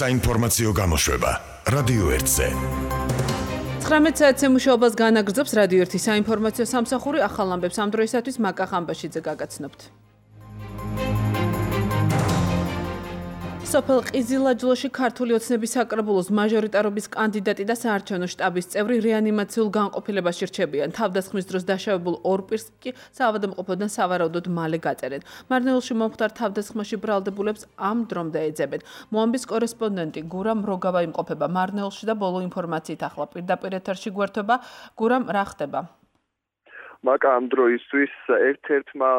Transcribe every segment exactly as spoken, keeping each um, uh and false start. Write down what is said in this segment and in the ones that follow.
საინფორმაციო გამოშვება რადიო ერთზე. ცხრამეტ საათზე მუშაობას განაგრძობს რადიო ერთი საინფორმაციო სამსახური. ახალ ამბებს ამ დროისათვის მაკა ხამბაშიძე გაგაცნობთ. სოფელ ყიზილაჯლოში ქართული ოცნების საკრებულოს მაჟორიტარობის კანდიდატი და საარჩევნო შტაბის წევრი რეანიმაციულ განყოფილებაში რჩებიან. თავდასხმის დროს დაშავებულ ორ პირს კი საავადმყოფოდან სავარაუდოდ მალე გაწერენ. მარნეულში მომხდარ თავდასხმაში ბრალდებულებს ამ დრომდე ეძებენ. მოამბის კორესპონდენტი გურამ როგავა იმყოფება მარნეულში და ბოლო ინფორმაციით ახლა პირდაპირ ეთერში გვერდება. გურამ, რა ხდება? მაკა ამ დროისთვის ერთ-ერთმა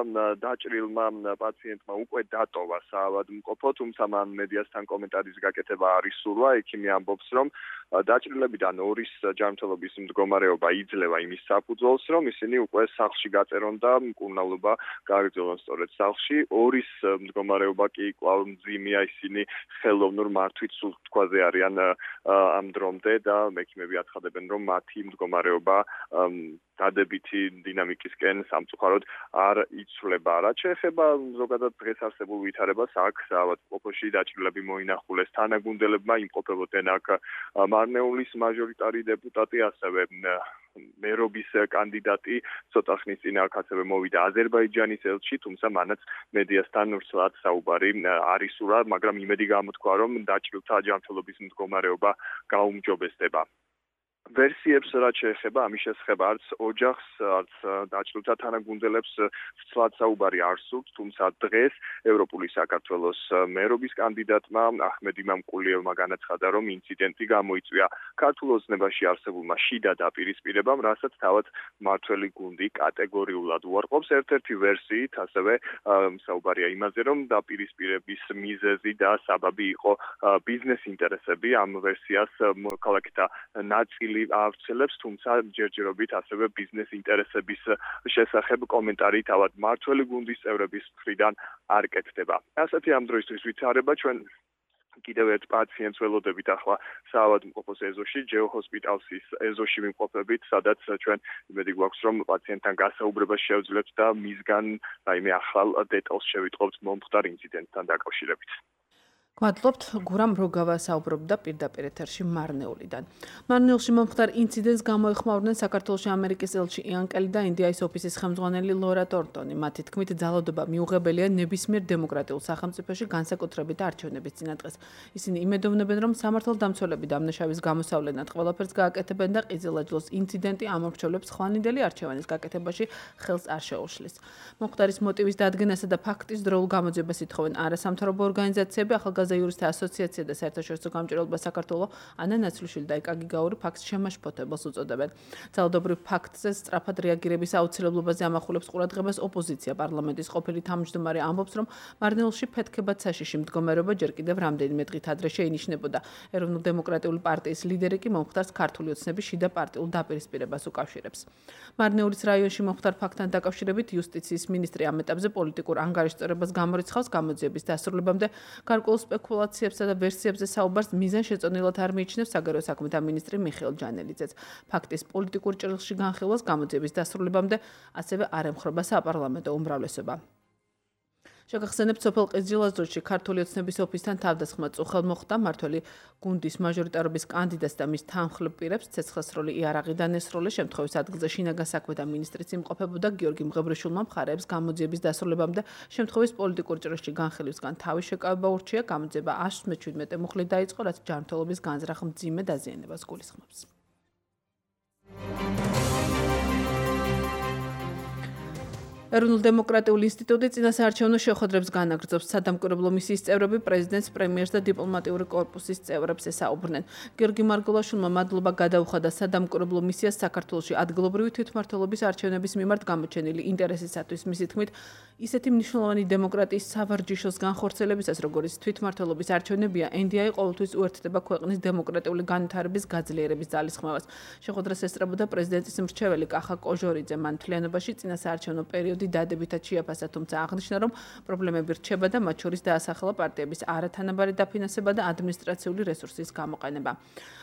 დაჭრილმა პაციენტმა უკვე დატოვა საავადმყოფო, თუმცა მან მედიასთან კომენტარის გაკეთება არ ისურვა. ექიმი ამბობს, რომ დაჭრილებიდან ორის ჯანმრთელობის მდგომარეობა იძლევა იმის საფუძველს, რომ ისინი უკვე სახლში გაწერონ და მკურნალობა გააგრძელონ სწორედ სახლში. ორის მდგომარეობა კი კვლავ მძიმეა, ისინი ხელოვნურ მართვით სულთქვაზე არიან ამ დრომდე და ექიმები აცხადებენ, რომ მათი მდგომარეობა დადებითი დინამიკისკენ სამწუხაროდ არ იცვლება. რაც შეეხება ზოგადად დღეს არსებულ ვითარებას, აქ საავადმყოფოში დაჭრილები მოინახულეს თანაგუნდელებმა, იმყოფებოდნენ აქ მარნეულის მაჟორიტარი დეპუტატი, ასევე მერობის კანდიდატი, ცოტა ხნის წინ აქ ასევე მოვიდა აზერბაიჯანის ელჩი, თუმცა მანაც მედიასთან ვრცლად საუბარი არ ისურვა, მაგრამ იმედი გამოთქვა, რომ დაჭრილთა ჯანმრთელობის მდგომარეობა გაუმჯობესდება. ვერსიებს რაც შეეხება ამის შესახებ არც ოჯახს, არც დაჭრილთა თანაგუნდელებს ვრცლად საუბარი არ სურთ, თუმცა დღეს ევროპული საქართველოს მერობის კანდიდატმა აჰმედი მამკულიევმა განაცხადა, რომ ინციდენტი გამოიწვია ქართულ ოცნებაში არსებულმა შიდა დაპირისპირებამ, რასაც თავად მმართველი გუნდი კატეგორიულად უარყოფს. ერთ-ერთი ვერსიით ასევე საუბარია იმაზე, რომ დაპირისპირების მიზეზი და საბაბი იყო ბიზნეს ინტერესები. ამ ვერსიას ქალაქთა ნაწილი ავრცელებს, თუმცა ჯერჯერობით ასევე ბიზნეს ინტერესების შესახებ კომენტარი თავად მმართველი გუნდის წევრების მხრიდან არ კეთდება. ასეთი ამ დროისთვის ვითარება. ჩვენ კიდევ ერთ პაციენტს ველოდებით ახლა საავადმყოფოს ეზოში, ჯეოჰოსპიტალსის ეზოში ვიმყოფებით, სადაც ჩვენ იმედი გვაქვს, რომ პაციენტთან გასაუბრება შევძლებთ და მისგან რაიმე ახალ დეტალს შევიტყობთ მომხდარ ინციდენტთან დაკავშირებით. გვადლობთ, გურამ როგავა საუბრობდა პირდაპირ ეთერში მარნეულიდან. მარნეულში მომხდარ ინციდენტს გამოეხმაურნენ საქართველოში ამერიკის ელჩი იან კელი და ინდიის ოფისის ხელმძღვანელი ლორა ტორტონი. მათი თქმით, ძალადობა მიუღებელია ნებისმიერ დემოკრატიულ სახელმწიფოში განსაკუთრებით არჩევნების წინადღეს. ისინი იმედოვნებენ, რომ სამართალდამცველები დამნაშავის გამოსავლენად ყველაფერს გააკეთებენ და ყიზილაჯლოს ინციდენტი ამორჩევლებს ხვალინდელი არჩევანის გაკეთებაში ხელს არ შეუშლის. მომხდარის მოტივის დადგენასა და ფაქტის დროულ გამოძიებას ითხოვენ არასამთავრობო ორგანიზაციები, ახალგაზრდა იურისტთა ასოციაცია და საერთაშორისო გამჭირვალობა საქართველოს ანა ნაცვლიშვილი და იკა გიგაური ფაქტს შემაშფოთებელს უწოდებენ. ძალადობრივ ფაქტზე სწრაფად რეაგირების აუცილებლობაზე ამახვილებს ყურადღებას ოპოზიცია. პარლამენტის ყოფილი თავმჯდომარე ამბობს, რომ მარნეულში ფეთქებად საშიში მდგომარეობა ჯერ კიდევ რამდენიმე დღით ადრე შეინიშნებოდა. ეროვნულ-დემოკრატიული პარტიის ლიდერი კი მომხდარს ქართული ოცნების შიდა პარტიულ დაპირისპირებას უკავშირებს. მარნეულის რაიონში მომხდარ ფაქტთან დაკავშირებით იუსტიციის მინისტრი ამ ეტაპზე პოლიტიკურ ანგარიშწერებას გამორიცხავს. გამოძიების დასრულებამდე გარკვეულ სპეკულაციებსა და ვერსიებზე საუბარს მიზანშეწონილად არ მიიჩნევს საგარეო საქმეთა მინისტრი მიხეილ ჯანელიძეც. ფაქტის პოლიტიკურ ჭრილში განხილვას გამოძიების დასრულებამდე ასევე არ ემხრობა საპარლამენტო უმრავლესობა. შეგახსენებთ, სოფელ ყიზილაჯლოში ქართული ოცნების ოფისთან თავდასხმა წუხელ მოხდა. მმართველი გუნდის მაჟორიტარობის კანდიდატს და მის თანხმლებ პირებს ცეცხლსროლი იარაღი დანესროლეს. შემთხვევის ადგილზე შინაგან საქმეთა მინისტრიც იმყოფებოდა. გიორგი მღებრიშვილმა მხარეებს გამოძიების დასრულებამდე შემთხვევის პოლიტიკურ ჭრილში განხილვისგან თავის შეკავება ურჩია. გამოძიება ას მეჩვიდმეტე მუხლით დაიწყო, რაც ჯანმრთელობის განზრახ მძიმე დაზიანებას გულისხმობს. ეროვნულ-დემოკრატიული ინსტიტუტი წინასაარჩევნო შეხვედრებს განაგრძობს. სადამკვირვებლო მისიის წევრები პრეზიდენტს, პრემიერს და დიპლომატიური კორპუსის წევრებს ესაუბრნენ. გიორგი მარგულაშვილმა მადლობა გადაუხადა სადამკვირვებლო მისიას საქართველოში ადგილობრივი თვითმმართველობის არჩევნების მიმართ გამოჩენილი ინტერესისათვის. მისი თქმით, ისეთი მნიშვნელოვანი დემოკრატიის სავარჯიშოს განხორციელებისას, როგორც თვითმმართველობის არჩევნებია, ენ დი აი ყოველთვის უერთდება ქვეყნის დემოკრატიული განვითარების გაძლიერების ძალისხმევას. შეხვედრას ესწრებოდა პრეზიდენტის მრჩეველი კახა კოჟორიძე. მან მთლიანობაში წინასაარჩევნო პერიოდი ზოგიერთი დადებითად შეაფასა, თუმცა აღნიშნა, რომ პრობლემები რჩება და მათ შორის დაასახელა პარტიების არათანაბარი დაფინანსება და ადმინისტრაციული რესურსის გამოყენება.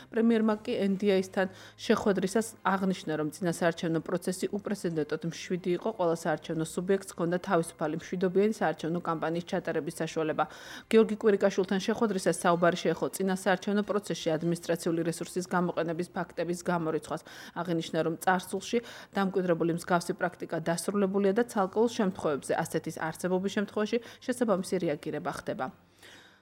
პრემიერმა კი ენ დი აის-თან შეხვედრისას აღნიშნა, რომ წინასაარჩევნო პროცესი უპრეცედენტოდ მშვიდი იყო, ყველა საარჩევნო სუბიექტს ჰქონდა თავისუფალი მშვიდობიანი საარჩევნო კამპანიის ჩატარების საშუალება. გიორგი კვირიკაშვილთან შეხვედრისას საუბარი შეეხო წინასაარჩევნო პროცესში ადმინისტრაციული რესურსის გამოყენების ფაქტების გამორიცხვას. აღნიშნა, რომ წარსულში დამკვიდრებული მსგავსი პრაქტიკა დასრულებულია და ცალკეულ შემთხვევებზე ასეთის არსებობის შემთხვევაში შესაბამისი რეაგირება ხდება.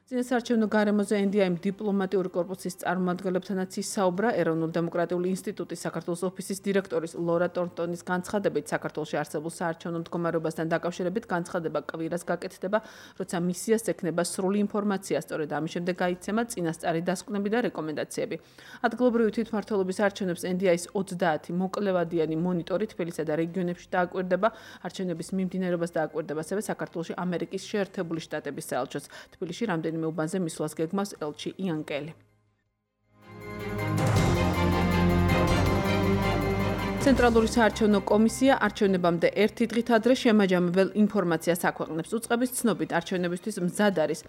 წინასაარჩევნო გარემოზე ენ დი აიმ დიპლომატიური კორპუსის წარმომადგენლებთანაც ისაუბრა. ეროვნულ დემოკრატიული ინსტიტუტის საქართველოს ოფისის დირექტორის ლორა ტორტონის განცხადებით, საქართველოში არსებულ საარჩევნო მდგომარეობასთან დაკავშირებით განცხადება კვირას გაკეთდება, როცა მისიას ექნება სრული ინფორმაცია, სწორედ ამის შემდეგ გაიცემა წინასწარი დასკვნები და რეკომენდაციები. ადგილობრივი თვითმმართველობის არჩევნებს ენ დი აის ოცდაათი მოკლევადიანი მონიტორი თბილისსა და რეგიონებში დააკვირდება. არჩევნების მიმდინარეობას დააკვირდება ასევე საქართველოში ამერიკის შეერთებული შტატების საელჩოს. თბილისში რამდენი უბანზე მისვლას გეგმავს ელჩი იან კელი. ცენტრალური საარჩევნო კომისია არჩევნებამდე ერთი დღით ადრე შემაჯამებელ ინფორმაციას აქვეყნებს. უწყების ცნობით არჩევნებისთვის მზად არის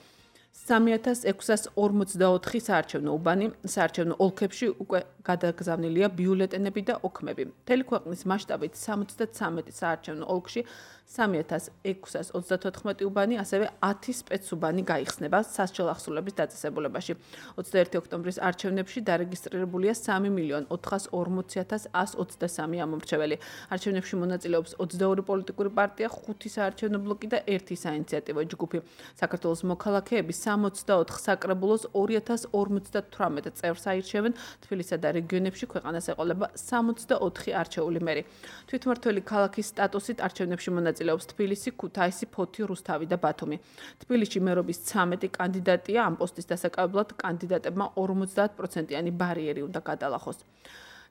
სამი ათას ექვსას ორმოცდაოთხი საარჩევნო უბანი. საარჩევნო ოლქებში უკვე გადაგზავნილია ბიულეტენები და ოქმები. მთელი ქვეყნის მასშტაბით სამოცდათვრამეტი საარჩევნო ოლქში სამი ათას ექვსას ოცდათოთხმეტი უბანი, ასევე ათი სპეცუბანი გაიხსნება სასჯელ ახსულების დაწესებულებაში. ოცდაერთი ოქტომბრის არჩევნებში დარეგისტრირებულია სამი მილიონი ოთხას ორმოცი ათას ასს ოცდასამი ამომრჩეველი. არჩევნებში მონაწილეობს ოცდაორი პოლიტიკური პარტია, ხუთი საარჩევნო ბლოკი და ერთი საინიციატივო ჯგუფი. საქართველოს მოქალაქეები სამოცდაოთხ საკრებულოს ორი ათას ორმოცდათვრამეტ წევრს აირჩევენ. თბილისსა და რეგიონებში ქვეყანას ეყოლება სამოცდაოთხი არჩეული მერი. თვითმმართველი ქალაქის სტატუსით არჩევნებში მონაწილეობს თბილისი, ქუთაისი, ფოთი, რუსთავი და ბათუმი. თბილისში მერობის ცამეტი კანდიდატია, ამ პოსტის დასაკავებლად კანდიდატებმა ორმოცდაათ პროცენტიანი ბარიერი უნდა გადალახოს.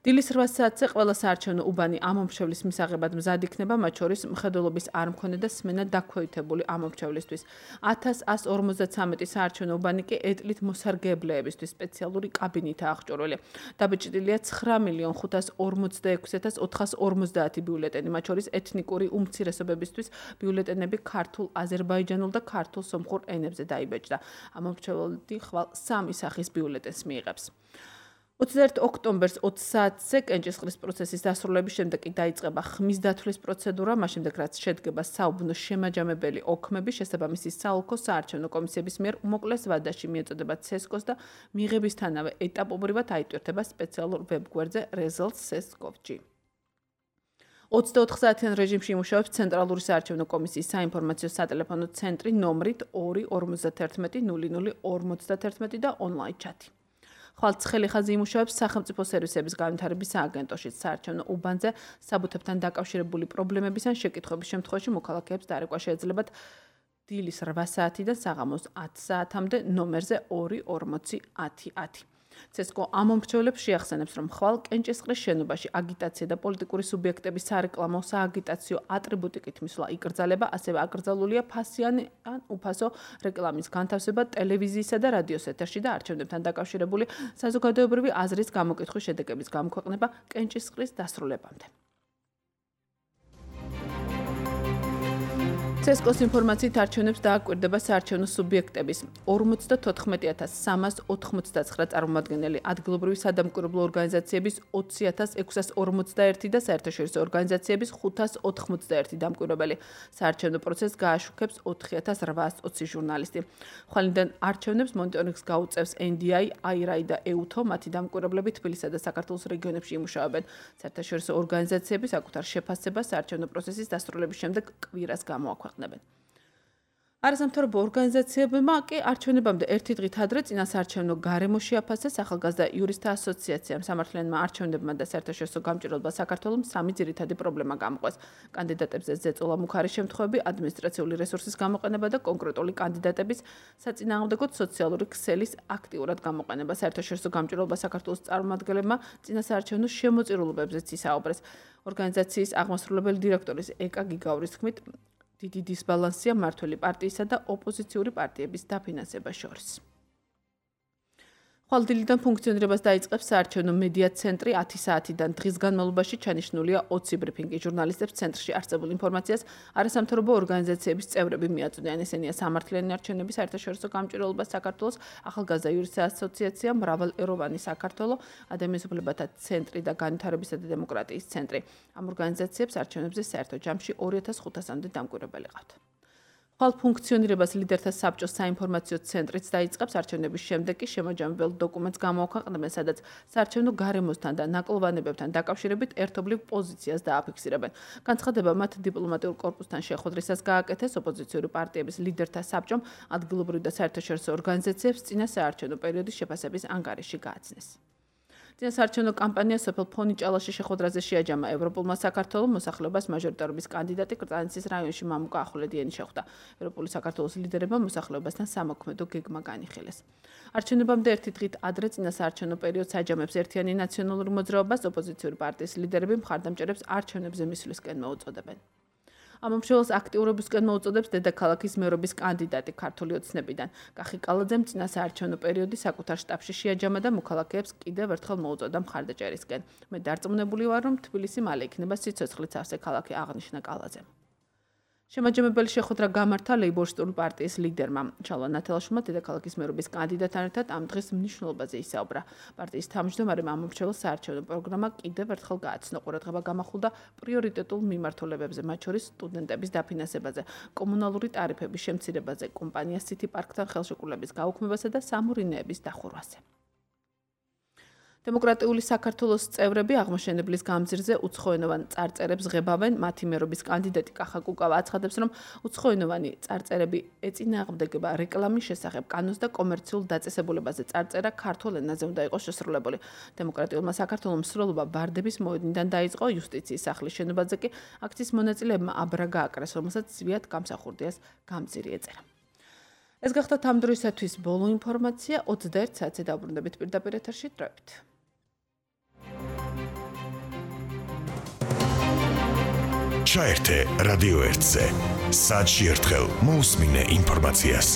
დილის რვა საათზე ყველა საარჩევნო უბანი ამომრჩევლის მისაღებად მზად იქნება, მათ შორის მხედველობის არ მქონე და სმენა დაქვეითებული ამომრჩევლისთვის. ათას ასს ორმოცდათვრამეტი საარჩევნო უბანი კი ეტლით მოსარგებლეებისთვის სპეციალური კაბინეტაა აღჭურვილი. დაბეჭდილია ცხრა მილიონი ხუთას ორმოცდაექვსი ათას ოთხას ორმოცდაათი ბიულეტენი, მათ შორის ეთნიკური უმცირესობებისთვის ბიულეტენები ქართულ, აზერბაიჯანულ და ქართულ სომხურ ენებზე დაიბეჭდა. ამომრჩეველი ხვალ სამი სახის ბიულეტენს მიიღებს. ოცდაერთი ოქტომბერს ოცი საათზე კენჭისყრის პროცესის დასრულების შემდეგ კი დაიწყება ხმის დათვლის პროცედურა, მას შემდეგ რაც შედგება საუბნო შემაჯამებელი ოქმები, შესაბამისი საოლქო საარჩევნო კომისიების მიერ უმოკლეს ვადაში მიეწოდება ცესკოს და მიღებისთანავე ეტაპობრივად აიტვირთება სპეციალურ ვებგვერდზე results dot ces dot gov dot g. ოცდაოთხ საათიან რეჟიმში იმუშავებს ცენტრალური საარჩევნო კომისიის საინფორმაციო სატელეფონო ცენტრი ნომრით ორი ორმოცდაათერთმეტი ნული ნული ორმოცდაათერთმეტი და ონლაინ ჩატი. ხვალ ცხელი ხაზი იმუშავებს სახელმწიფო სერვისების განვითარების სააგენტოში. საარჩევნო უბანზე საბუთებთან დაკავშირებული პრობლემების ან შეკითხვების შემთხვევაში მოქალაქეებს დარეკვა შეეძლებათ დილის რვა საათიდან საღამოს ათი საათამდე ნომერზე ორი ორმოცი ათი ათი. ცესკო ამომრჩევლებს შეახსენებს, რომ ხვალ კენჭისყრის შენობაში აგიტაცია და პოლიტიკური სუბიექტების სარეკლამო სააგიტაციო ატრიბუტიკით მისვლა იკრძალება, ასევე აკრძალულია ფასიანი ან უფასო რეკლამის განთავსება ტელევიზიისა და რადიოს ეთერში და არჩევნებთან დაკავშირებული საზოგადოებრივი აზრის გამოკითხვის შედეგების გამოქვეყნება კენჭისყრის დასრულებამდე. ცესკოს ინფორმაციით არჩევნებს დააკვირდება საარჩევნო სუბიექტების ორმოცდათოთხმეტი ათას სამას ოთხმოცდაცხრა წარმომადგენელი, ადგილობრივი სადამკვირვებლო ორგანიზაციების ოცი ათას ექვსას ორმოცდაერთი და საერთაშორისო ორგანიზაციების ხუთას ოთხმოცდაერთი დამკვირვებელი. საარჩევნო პროცესს გააშუქებს ოთხი ათას რვაას ოცი ჟურნალისტი. ხვალინდან არჩევნებს მონიტორინგს გაუწევს ენ დი აი, აი არ აი და ეუთო, მათი დამკვირვებლები თბილისსა და საქართველოს რეგიონებში იმუშავებენ. საერთაშორისო ორგანიზაციები საკუთარ შეფასებას საარჩევნო პროცესის დასრულების შემდეგ კვირას გამოაქვეყნებენ. არასამთავრობო ორგანიზაციებმა კი არჩევნებამდე ერთი დღით ადრე წინასაარჩევნო გარემო შეაფასეს. ახალგაზრდა იურისტთა ასოციაციამ სამართლიანმა არჩევნებმა და საერთაშორისო გამჭირვებელმა საქართველოს სამი ძირითადი პრობლემა გამოყვეს. კანდიდატებზე ზეწოლა მუქარი შემთხვევები, ადმინისტრაციული რესურსის გამოყენება და კონკრეტული კანდიდატების საწინააღმდეგო სოციალური ქსელის აქტიურად გამოყენება. საერთაშორისო გამჭირვებელმა საქართველოს წარმომადგენლებმა წინასაარჩევნო შემოწირულობებზეც ისაუბრეს. ორგანიზაციის აღმასრულებელი დირექტორის ეკა გიგაურის თქმით, დიდი დისბალანსია მმართველი პარტიისა და ოპოზიციური პარტიების დაფინანსებას შორის. ხვალდილიდან ფუნქციონირებას დაიწყებს საარჩევნო მედია ცენტრი ათი საათიდან. დღის განმავლობაში ჩანიშნულია ოცი ბრიფინგი. ჟურნალისტებს ცენტრში არსებულ ინფორმაციას არასამთავრობო ორგანიზაციების წევრები მიაწვდიან. ესენია სამართლიანი არჩევნების საერთაშორისო გამჭვირვალობა საქართველოს, ახალგაზრდა იურისტთა ასოციაცია, მრავალეროვანი საქართველო, ადამიანის უფლებათა ცენტრი და განვითარებისა და დემოკრატიის ცენტრი. ამ ორგანიზაციებს არჩევნებზე საერთო ჯამში ორი ათას ხუთასამდე დამკვირვებელი ყავთ. ხვალ ფუნქციონირებას ლიდერთა საბჭოს საინფორმაციო ცენტრიც დაიწყებს. არჩევნების შემდეგ კი შემაჯამებელ დოკუმენტს გამოაქვეყნებენ, სადაც საარჩევნო გარემოსთან და ნაკლოვანებებთან დაკავშირებით ერთობლივ პოზიციას დააფიქსირებენ. განცხადება მათ დიპლომატიურ კორპუსთან შეხვედრისას გააკეთეს. ოპოზიციური პარტიების ლიდერთა საბჭომ ადგილობრივ და საერთაშორისო ორგანიზაციებს წინა საარჩევნო პერიოდის შეფასების ანგარიში გააცნეს. წინა საარჩევნო კამპანია სოფელ ფონიჭალაში შეხვედრაზე შეაჯამა ევროპულმა საქართველოს მოსახლეობას მაჟორიტარობის კანდიდატი კრწანისის რაიონში მამუკა ახვლედიანი შეხვდა. ევროპული საქართველოს ლიდერებმა მოსახლეობასთან სამოქმედო გეგმა განიხილეს. არჩევნებამდე ერთი დღით ადრე წინა საარჩევნო პერიოდს აჯამებს ერთიანი ნაციონალური მოძრაობას, ოპოზიციური პარტიის ლიდერები მხარდამჭერებს არჩევნებზე მისვლისკენ მოუწოდებენ. ამ მომხმარებელს აქტიურობისკენ მოუწოდებს დედაქალაქის მერობის კანდიდატი ქართული ოცნებიდან. კახი კალაძემ წინა საარჩევნო პერიოდი საკუთარ შტაბში შეაჯამა და მოქალაქეებს კიდევ ერთხელ მოუწოდა მხარდაჭერისკენ. მე დარწმუნებული ვარ, რომ თბილისი მალე იქნება სიცოცხლით სავსე ქალაქი, აღნიშნა კალაძემ. შემაჯამებელი შეხვედრა გამართა ლეიბორისტული პარტიის ლიდერმა. ჩალვა ნათელაშვილმა დედაქალაქის მერობის კანდიდატთან ერთად ამ დღის მნიშვნელობაზე ისაუბრა. პარტიის თავმჯდომარემ ამ მომრჩეველს საარჩევნო პროგრამა კიდევ ერთხელ გააცნო. ყურადღება გამახვილდა პრიორიტეტულ მიმართულებებზე, მათ შორის სტუდენტების დაფინანსებაზე, კომუნალური ტარიფების შემცირებაზე, კომპანია City Park-თან ხელშეკრულების გაუქმებასა და სამურინეების დახურვაზე. დემოკრატიული საქართველოს წევრები აღმოჩენებლის გამზირზე უცხოენოვან წარწერებს ღებავენ. მათი მერობის კანდიდატი კახა კუკავა აცხადებს, რომ უცხოენოვანი წარწერები ეწინააღმდეგება რეკლამის შესახებ კანონს და კომერციულ დაწესებულებაზე წარწერა ქართულ ენაზე უნდა იყოს შესრულებული. დემოკრატიულმა საქართველოს მსვლელობა ბარდების მოედნიდან დაიწყო. იუსტიციის სახლის შენობაზე კი აქციის მონაწილეებმა აბრა გააკრეს, რომელსაც ზვიად გამსახურდიას გამზირი ეწერა. ეს გახდა ამ დროისათვის ბოლო ინფორმაცია. ოცდაერთ საათზე დაუბრუნდებით პირდაპირ ეთერში დროებით. ჩაერთე რადიო ერთზე. საათში ერთხელ მოусმინე ინფორმაციას.